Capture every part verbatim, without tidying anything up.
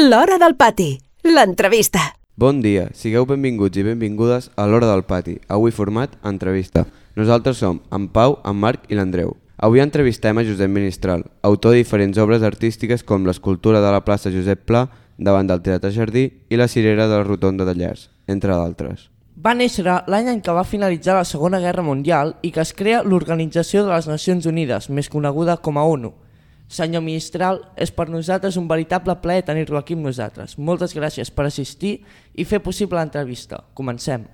L'Hora del Pati, l'entrevista. Bon dia, sigueu benvinguts i benvingudes a l'Hora del Pati, avui format entrevista. Nosaltres som en Pau, en Marc i l'Andreu. Avui entrevistem a Josep Ministral, autor de diferents obres artístiques com l'escultura de la plaça Josep Pla davant del Teatre Jardí i la cirera de la Rotonda de Llers, entre d'altres. Va néixer l'any en què va finalitzar la Segona Guerra Mundial i que es crea l'Organització de les Nacions Unides, més coneguda com a ONU. Senyor Ministral, és per nosaltres un veritable plaer tenir-lo aquí amb nosaltres. Moltes gràcies per assistir i fer possible l'entrevista. Comencem.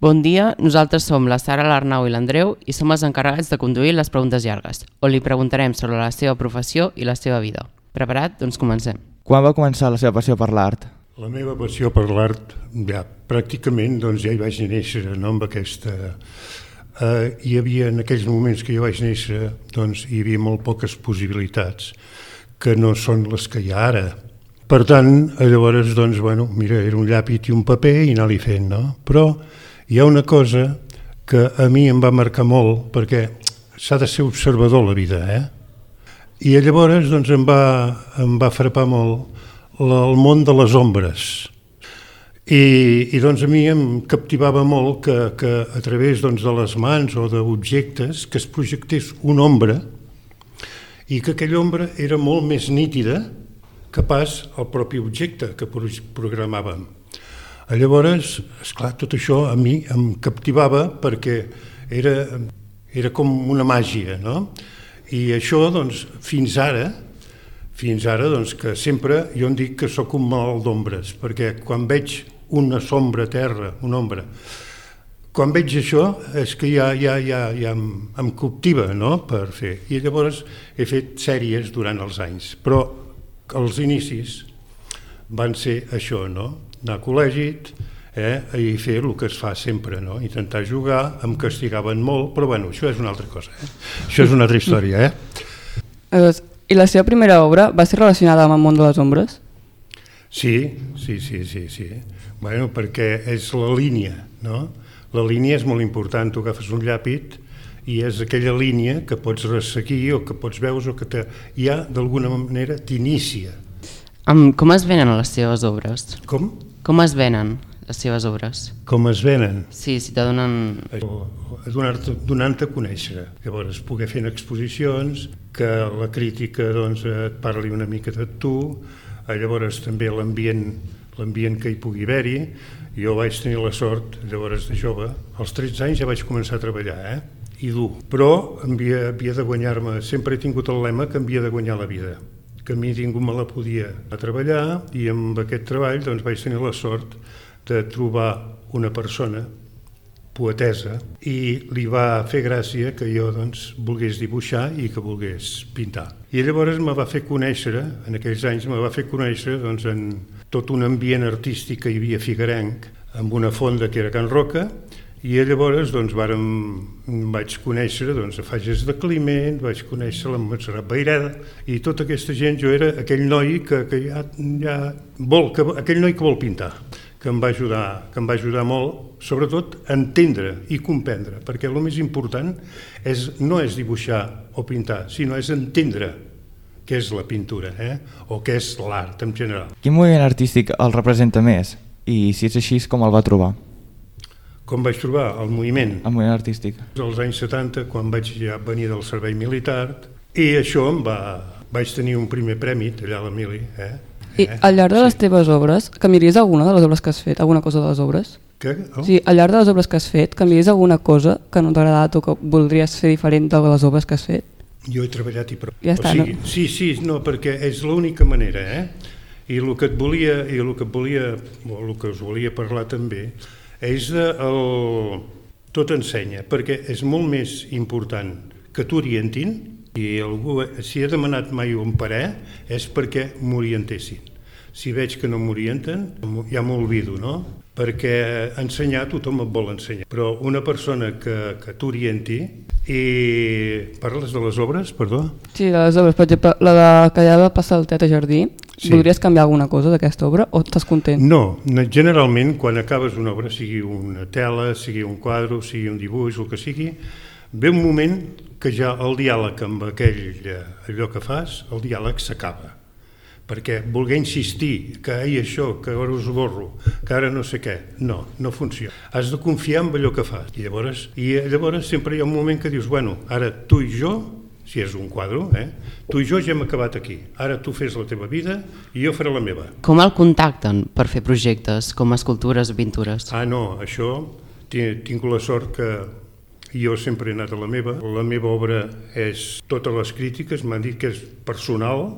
Bon dia, nosaltres som la Sara, l'Arnau i l'Andreu i som els encarregats de conduir les preguntes llargues, on li preguntarem sobre la seva professió i la seva vida. Preparat? Doncs comencem. Quan va començar la seva passió per l'art? La meva passió per l'art, ja pràcticament doncs, ja hi vaig néixer, no, amb aquesta... Uh, hi havia, en aquells moments que jo vaig néixer, doncs, hi havia molt poques possibilitats, que no són les que hi ha ara. Per tant, llavors, doncs, bueno, mira, era un llapis i un paper i anar-li fent, no? Però hi ha una cosa que a mi em va marcar molt, perquè s'ha de ser observador a la vida, eh? I llavors, doncs, em va, em va frapar molt el món de les ombres. I, i doncs a mi em captivava molt que, que a través doncs, de les mans o d'objectes que es projectés una ombra i que aquella ombra era molt més nítida que pas el propi objecte que programàvem. Llavors, esclar, tot això a mi em captivava perquè era, era com una màgia, no? I això, doncs, fins ara, fins ara, doncs, que sempre jo em dic que sóc un malalt d'ombres, perquè quan veig una sombra a terra, una ombra. Quan veig això és que ja, ja, ja, ja em, em captiva, no?, per fer. I llavors he fet sèries durant els anys, però els inicis van ser això, no?, anar a col·legi eh, i fer el que es fa sempre, no?, intentar jugar, em castigaven molt, però bueno, això és una altra cosa, eh? Això és una altra història, eh? I la seva primera obra va ser relacionada amb el món de les ombres? Sí, sí, sí, sí, sí. Bueno, perquè és la línia, no? La línia és molt important, tu agafes un llapis i és aquella línia que pots resseguir o que pots veure o que te, ja d'alguna manera t'inicia. Um, com es venen les seves obres? Com? Com es venen les seves obres? Com es venen? Sí, si te donen... Donar-te, donant-te a conèixer. Llavors, poder fer exposicions, que la crítica doncs, et parli una mica de tu, llavors també l'ambient l'ambient que hi pugui haver-hi. Jo vaig tenir la sort, llavors de jove, als tretze anys ja vaig començar a treballar, eh? I dur. Però havia, havia de guanyar-me, sempre he tingut el lema que havia de guanyar la vida, que a mi ningú me la podia a treballar i amb aquest treball doncs, vaig tenir la sort de trobar una persona poetesa i li va fer gràcia que jo doncs, volgués dibuixar i que volgués pintar. I llavors me va fer conèixer, en aquells anys me va fer conèixer doncs, en tot un ambient artístic que hi havia figuerenc, amb una fonda que era Can Roca, i llavors doncs, vàrem, vaig conèixer doncs, a Fages de Climent, vaig conèixer la Montserrat Baireda, i tota aquesta gent, jo era aquell noi que, que ja, ja vol, que, aquell noi que vol pintar, que em va ajudar, que em va ajudar molt, sobretot a entendre i comprendre, perquè el més important és, no és dibuixar o pintar, sinó és entendre què és la pintura, eh? O què és l'art en general. Quin moviment artístic el representa més? I si és així, com el va trobar? Com vaig trobar el moviment? El moviment artístic. Als anys setanta, quan vaig ja venir del servei militar, i això em va... vaig tenir un primer premi allà a la mili. Eh? I al llarg de les teves obres, canviaries alguna de les obres que has fet? Alguna cosa de les obres? Què? Oh? Sí, al llarg de les obres que has fet, canviaries alguna cosa que no t'ha agradat o que voldries fer diferent de les obres que has fet? Jo he treballat i prou. Ja està, o sigui, no? Sí, sí, no, perquè és l'única manera, eh? I el que et volia, i el que et volia, o el que us volia parlar també, és de el... tot ensenya, perquè és molt més important que t'orientin, i algú, si he demanat mai un parer, és perquè m'orientessin. Si veig que no m'orienten, ja m'olvido, no? Perquè ensenyar tothom et vol ensenyar, però una persona que, que t'orienti. I parles de les obres, perdó? Sí, de les obres, per exemple, la de que ja va passar al Teatre Jardí, sí. Voldries canviar alguna cosa d'aquesta obra o estàs content? No, generalment quan acabes una obra, sigui una tela, sigui un quadre, sigui un dibuix, el que sigui, ve un moment que ja el diàleg amb aquell, allò que fas, el diàleg s'acaba. perquè voler insistir que hi això, que ara us borro, que ara no sé què, no, no funciona. Has de confiar en allò que fas. I llavors, i llavors sempre hi ha un moment que dius, bueno, ara tu i jo, si és un quadre, eh, tu i jo ja hem acabat aquí. Ara tu fes la teva vida i jo faré la meva. Com el contacten per fer projectes, com escultures o pintures? Ah, no, això tinc la sort que jo sempre he anat a la meva. La meva obra és totes les crítiques, m'han dit que és personal,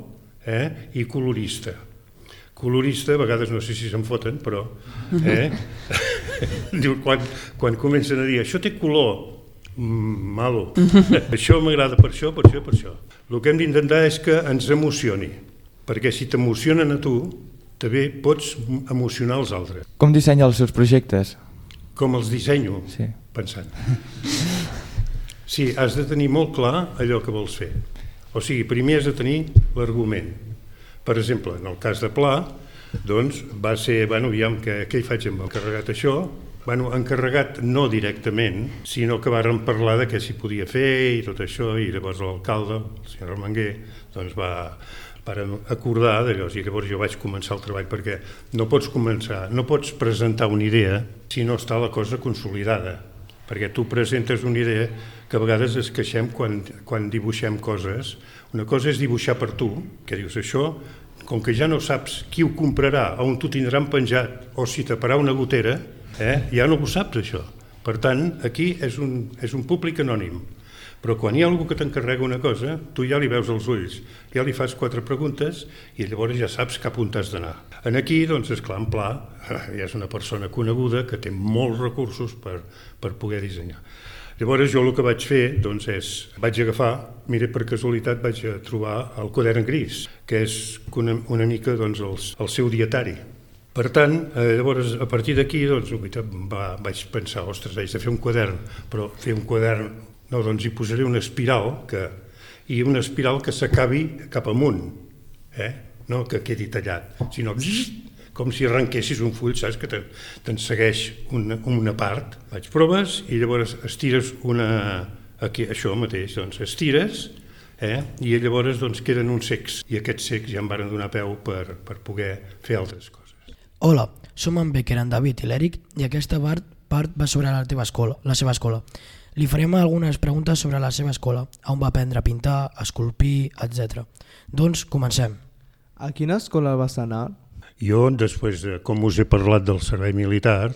eh, i colorista. Colorista, a vegades no sé si se'n foten, però eh, diu, quan, quan comencen a dir això té color, mm, malo, això m'agrada per això, per això, per això. El que hem d'intentar és que ens emocioni, perquè si t'emocionen a tu, també pots emocionar els altres. Com dissenya els seus projectes? Com els dissenyo, sí. Pensant. Sí, has de tenir molt clar allò que vols fer. O sigui, primer has de tenir l'argument. Per exemple, en el cas de Pla, doncs va ser, bueno, aviam, què, què hi faig amb encarregat això? Bueno, encarregat no directament, sinó que vàrem parlar de què s'hi podia fer i tot això, i llavors l'alcalde, el senyor Armenguer, doncs va... per acordar d'allò, i llavors jo vaig començar el treball, perquè no pots començar, no pots presentar una idea si no està la cosa consolidada, perquè tu presentes una idea que a vegades es queixem quan, quan dibuixem coses. Una cosa és dibuixar per tu, que dius això, com que ja no saps qui ho comprarà, on t'ho tindran penjat, o si taparà una gotera, eh, ja no ho saps això. Per tant, aquí és un, és un públic anònim. Però quan hi ha algú que t'encarrega una cosa, tu ja li veus els ulls, ja li fas quatre preguntes i llavors ja saps cap on t'has d'anar. En aquí, doncs, esclar, en Pla, ja és una persona coneguda que té molts recursos per, per poder dissenyar. Llavors jo el que vaig fer, doncs, és, vaig agafar, mira, per casualitat vaig trobar el quadern gris, que és una, una mica, doncs, el, el seu dietari. Per tant, eh, llavors, a partir d'aquí, doncs, va, vaig pensar, ostres, haig de fer un quadern, però fer un quadern... No, doncs hi posaré una espiral que, i una espiral que s'acabi cap amunt, eh? No que quedi tallat, sinó com si arrenquessis un full, saps, que te'n segueix una, una part. Faig proves i llavors estires una... Aquí, això mateix, doncs estires, eh? I llavors doncs, queden uns cecs, i aquests cecs ja em van donar peu per, per poder fer altres coses. Hola, som en Becker, en David i l'Eric, i aquesta part, part va sobre la teva escola, la seva escola. Li farem algunes preguntes sobre la seva escola, on va aprendre a pintar, a esculpir, etcètera. Doncs comencem. A quina escola vas anar? Jo, després, de, com us he parlat del servei militar,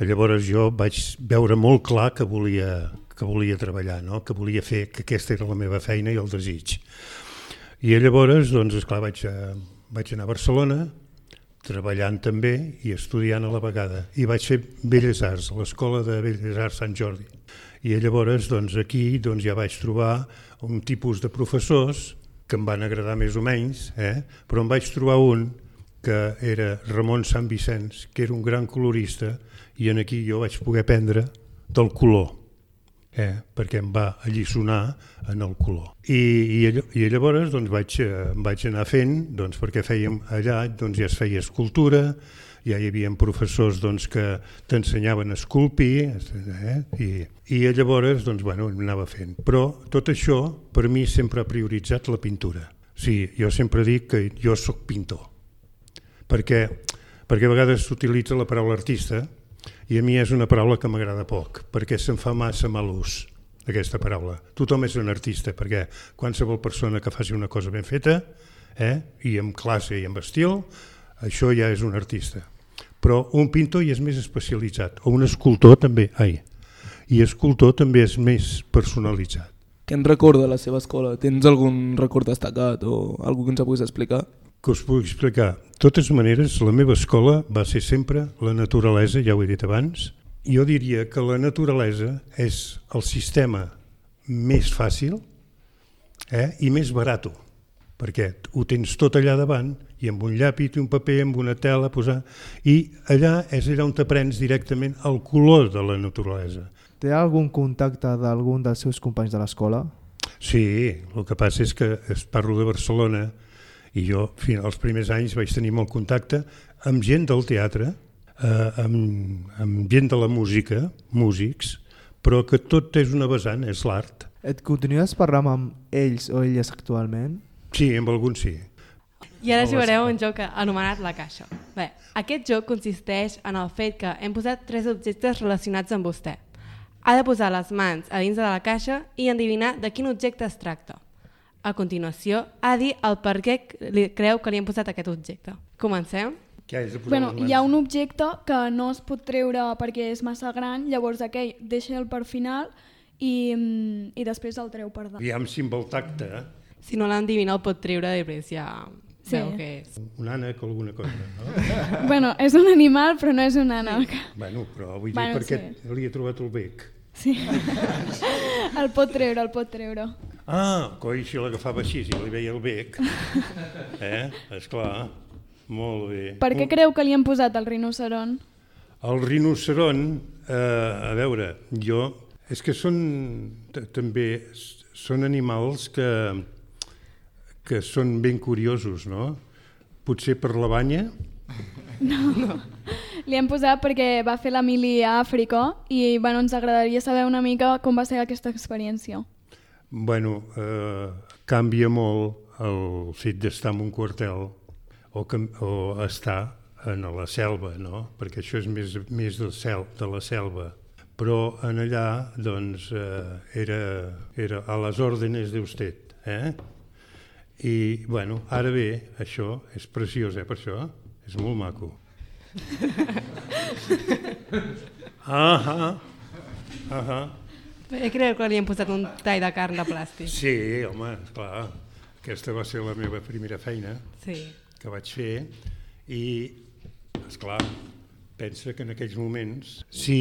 llavors jo vaig veure molt clar que volia, que volia treballar, no? Que volia fer, que aquesta era la meva feina i el desig. I llavors, doncs, esclar, vaig, a, vaig anar a Barcelona, treballant també i estudiant a la vegada. I vaig fer Belles Arts, a l'Escola de Belles Arts Sant Jordi. I llavors doncs, aquí doncs, ja vaig trobar un tipus de professors que em van agradar més o menys, eh? Però em vaig trobar un que era Ramon Sant Vicenç, que era un gran colorista, i en aquí jo vaig poder aprendre del color, eh? Perquè em va alliçonar en el color. I, i, i llavors doncs, vaig, vaig anar fent, doncs, perquè fèiem allà doncs, ja es feia escultura, ja hi havia professors doncs, que t'ensenyaven a esculpir, eh? I, i llavors doncs, bueno, anava fent. Però tot això per mi sempre ha prioritzat la pintura. Sí, jo sempre dic que jo sóc pintor, perquè, perquè a vegades s'utilitza la paraula artista i a mi és una paraula que m'agrada poc, perquè se'n fa massa mal ús, aquesta paraula. Tothom és un artista, perquè qualsevol persona que faci una cosa ben feta, eh? I amb classe i amb estil, això ja és un artista. Però un pintor ja és més especialitzat, o un escultor també, ai, i escultor també és més personalitzat. Què en recorda la seva escola? Tens algun record destacat o algú que ens puguis explicar? Que us puc explicar. De totes maneres, la meva escola va ser sempre la naturalesa, ja ho he dit abans. Jo diria que la naturalesa és el sistema més fàcil, eh, i més barat, perquè ho tens tot allà davant i amb un llapis i un paper, amb una tela, posar... i allà és allà on t'aprens directament el color de la naturalesa. Té algun contacte d'algun dels seus companys de l'escola? Sí, el que passa és que es parlo de Barcelona i jo fins als primers anys vaig tenir molt contacte amb gent del teatre, eh, amb, amb gent de la música, músics, però que tot és una vessant, és l'art. Et continues parlant amb ells o elles actualment? Sí, amb alguns sí. I ara jugareu un joc anomenat La Caixa. Bé, aquest joc consisteix en el fet que hem posat tres objectes relacionats amb vostè. Ha de posar les mans a dins de la caixa i endevinar de quin objecte es tracta. A continuació, ha de dir el per què li creu que li hem posat aquest objecte. Comencem? Bueno, hi ha un objecte que no es pot treure perquè és massa gran, llavors aquell deixa'l per final i, i després el treu per dalt. Aviam si amb el tacte... Si no l'endevina el pot treure i després ja sí. Veu què és. Un ànec o alguna cosa, no? Bueno, és un animal però no és un ànec. Sí. Bueno, però vull dir bueno, perquè sí. li he trobat el bec. Sí, el pot treure, el pot treure. Ah, coi, si l'agafava així i li veia el bec. Eh, esclar, molt bé. Per què creu que li han posat el rinoceron? El rinoceron, eh, a veure, jo... És que són també són animals que, que són ben curiosos, no? Potser per la banya? No, no. Li hem posat perquè va fer la mili a Àfrica i bueno, ens agradaria saber una mica com va ser aquesta experiència. Bueno, eh, canvia molt el fet d'estar en un quartel o, que, o estar en la selva, no? Perquè això és més, més del cel, de la selva. Però en allà doncs, eh, era, era a les òrdenes d'usted. Eh? I bueno, ara bé, això és preciós, eh, per això? És molt maco. Ahà, ahà. Jo crec que li hem posat un tall de carn de plàstic. Sí, home, esclar. Aquesta va ser la meva primera feina sí. que vaig fer i, esclar, pensa que en aquells moments, si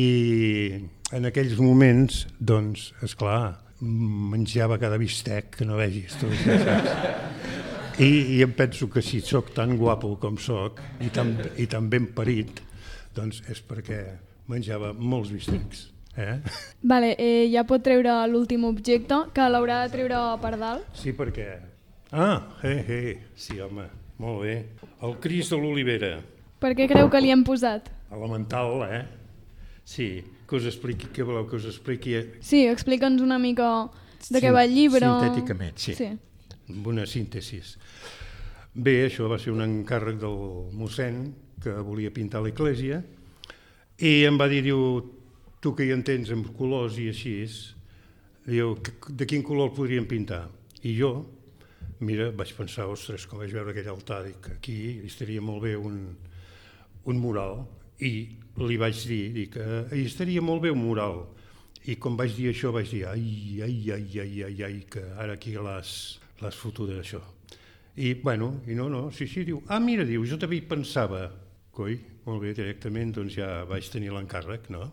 en aquells moments, doncs, esclar, menjava cada bistec que no vegis, tu, saps? I, I em penso que si sóc tan guapo com sóc i tan, i tan ben parit, doncs és perquè menjava molts bistecs. Eh? Vale, eh, ja pot treure l'últim objecte, que l'haurà de treure per dalt. Sí, perquè... Ah, eh, eh, sí, home, molt bé. El Cris de l'Olivera. Per què creu que li hem posat? Elemental, eh? Sí, que us expliqui, què voleu que us expliqui? Sí, explica'ns una mica de què va el llibre. Sintèticament, sí. sí. Amb una síntesi. Bé, això va ser un encàrrec del mossèn que volia pintar l'església i em va dir, diu, tu que hi entens amb colors i així, diu, de quin color el podríem pintar? I jo, mira, vaig pensar, ostres, com vaig veure aquell altar, dic, aquí estaria molt bé un, un mural. I li vaig dir, dic, eh, hi estaria molt bé un mural. I com vaig dir això, vaig dir, ai, ai, ai, ai, ai, ai, que ara aquí l'has fotut d'això. I, bueno, i no, no, sí, sí, diu, ah, mira, diu, jo també hi pensava. Coi, molt bé, directament, doncs ja vaig tenir l'encàrrec, no?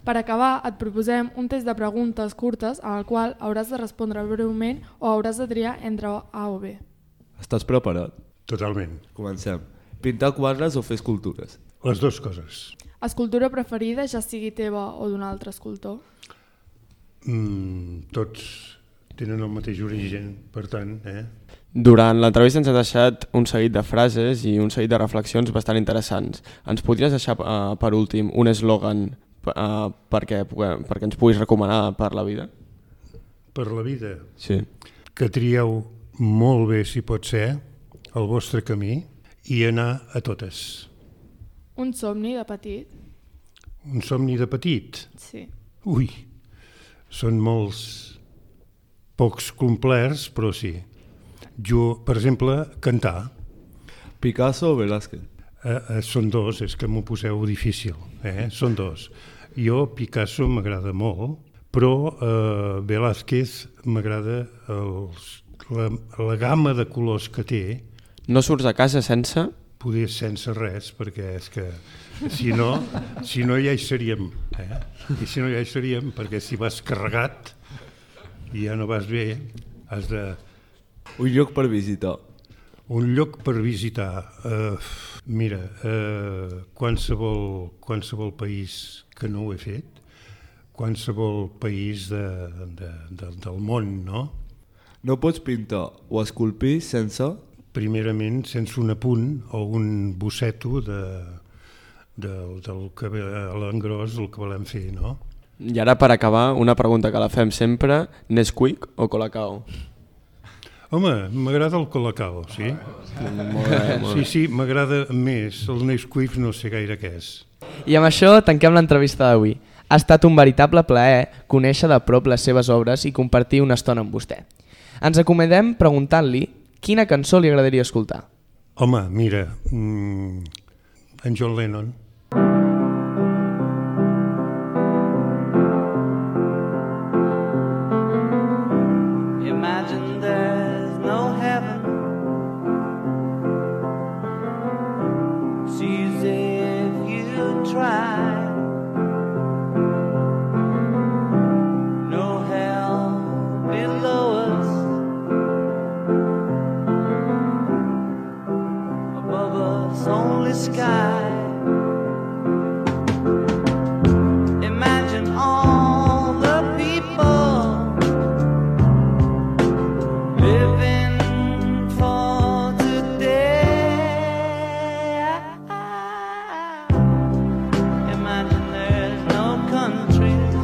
Per acabar, et proposem un test de preguntes curtes al qual hauràs de respondre breument o hauràs de triar entre A o B. Estàs preparat? Totalment. Comencem. Pintar quadres o fer escultures? Les dues coses. Escultura preferida, ja sigui teva o d'un altre escultor? Mm, tots tenen el mateix origen, per tant, eh? Durant l'entrevista ens ha deixat un seguit de frases i un seguit de reflexions bastant interessants. Ens podries deixar, uh, per últim, un eslògan uh, perquè, perquè ens puguis recomanar per la vida? Per la vida? Sí. Que trieu molt bé, si pot ser, el vostre camí i anar a totes. Un somni de petit? Un somni de petit? Sí. Ui, són molts, pocs complerts, però sí. Jo, per exemple, cantar. Picasso o Velázquez? Eh, eh, són dos, és que m'ho poseu difícil. Eh? Són dos. Jo, Picasso m'agrada molt, però eh, Velázquez m'agrada la, la gamma de colors que té. No surts a casa sense? Poder sense res, perquè és que si no, si no ja hi seríem. Eh? I si no ja hi seríem, perquè si vas carregat i ja no vas bé, has de... Un lloc per visitar. Un lloc per visitar. Uh, mira, uh, qualsevol, qualsevol país que no ho he fet, qualsevol país de, de, de, del món, no? No pots pintar o esculpir sense... Primerament, sense un apunt o un bosseto de, de, del que ve a l'engròs, el que volem fer, no? I ara, per acabar, una pregunta que la fem sempre, Nesquik o Colacao? Home, m'agrada el Colacao, sí? Molt bé, molt bé. Sí, sí, m'agrada més. El Nesquik no sé gaire què és. I amb això tanquem l'entrevista d'avui. Ha estat un veritable plaer conèixer de prop les seves obres i compartir una estona amb vostè. Ens acomodem preguntant-li quina cançó li agradaria escoltar. Home, mira, mmm, en John Lennon. Imagine there's no heaven. It's easy if you try. No hell below us. Above us only sky. Imagine all the people living for today. Imagine there's no countries.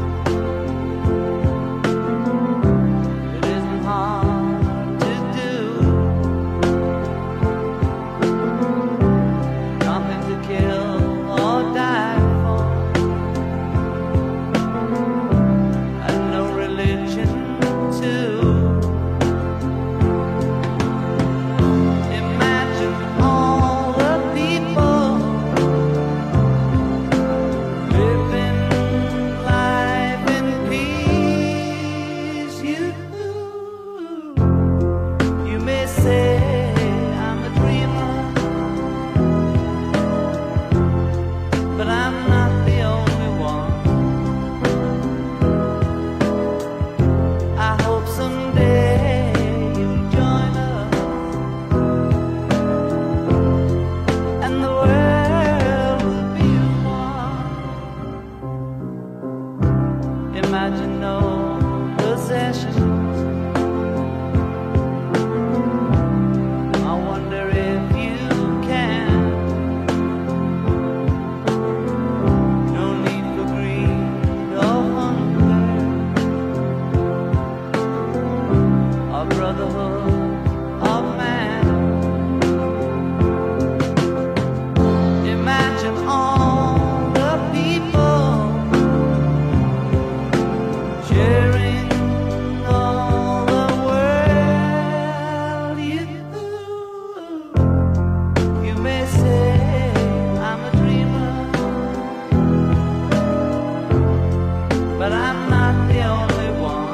It isn't hard to do. Nothing to kill or die for. And no religion too. Imagine all the people living life in peace. You, you may say I'm a dreamer, but I'm not the only one. I hope someday you'll join us and the world will be one. Imagine no possessions. I wonder if you can. No need for greed or hunger or brotherhood of man. Imagine all the people sharing all the world. You, you may say I'm a dreamer, but I'm not the only one.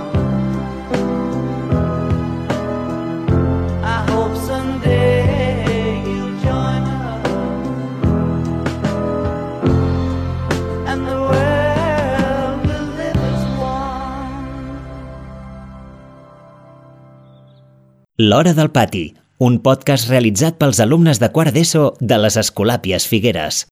I hope someday you'll join us and the world will live as one. L'Hora del Pati, un podcast realitzat pels alumnes de quart d'ESO de les Escolàpies Figueres.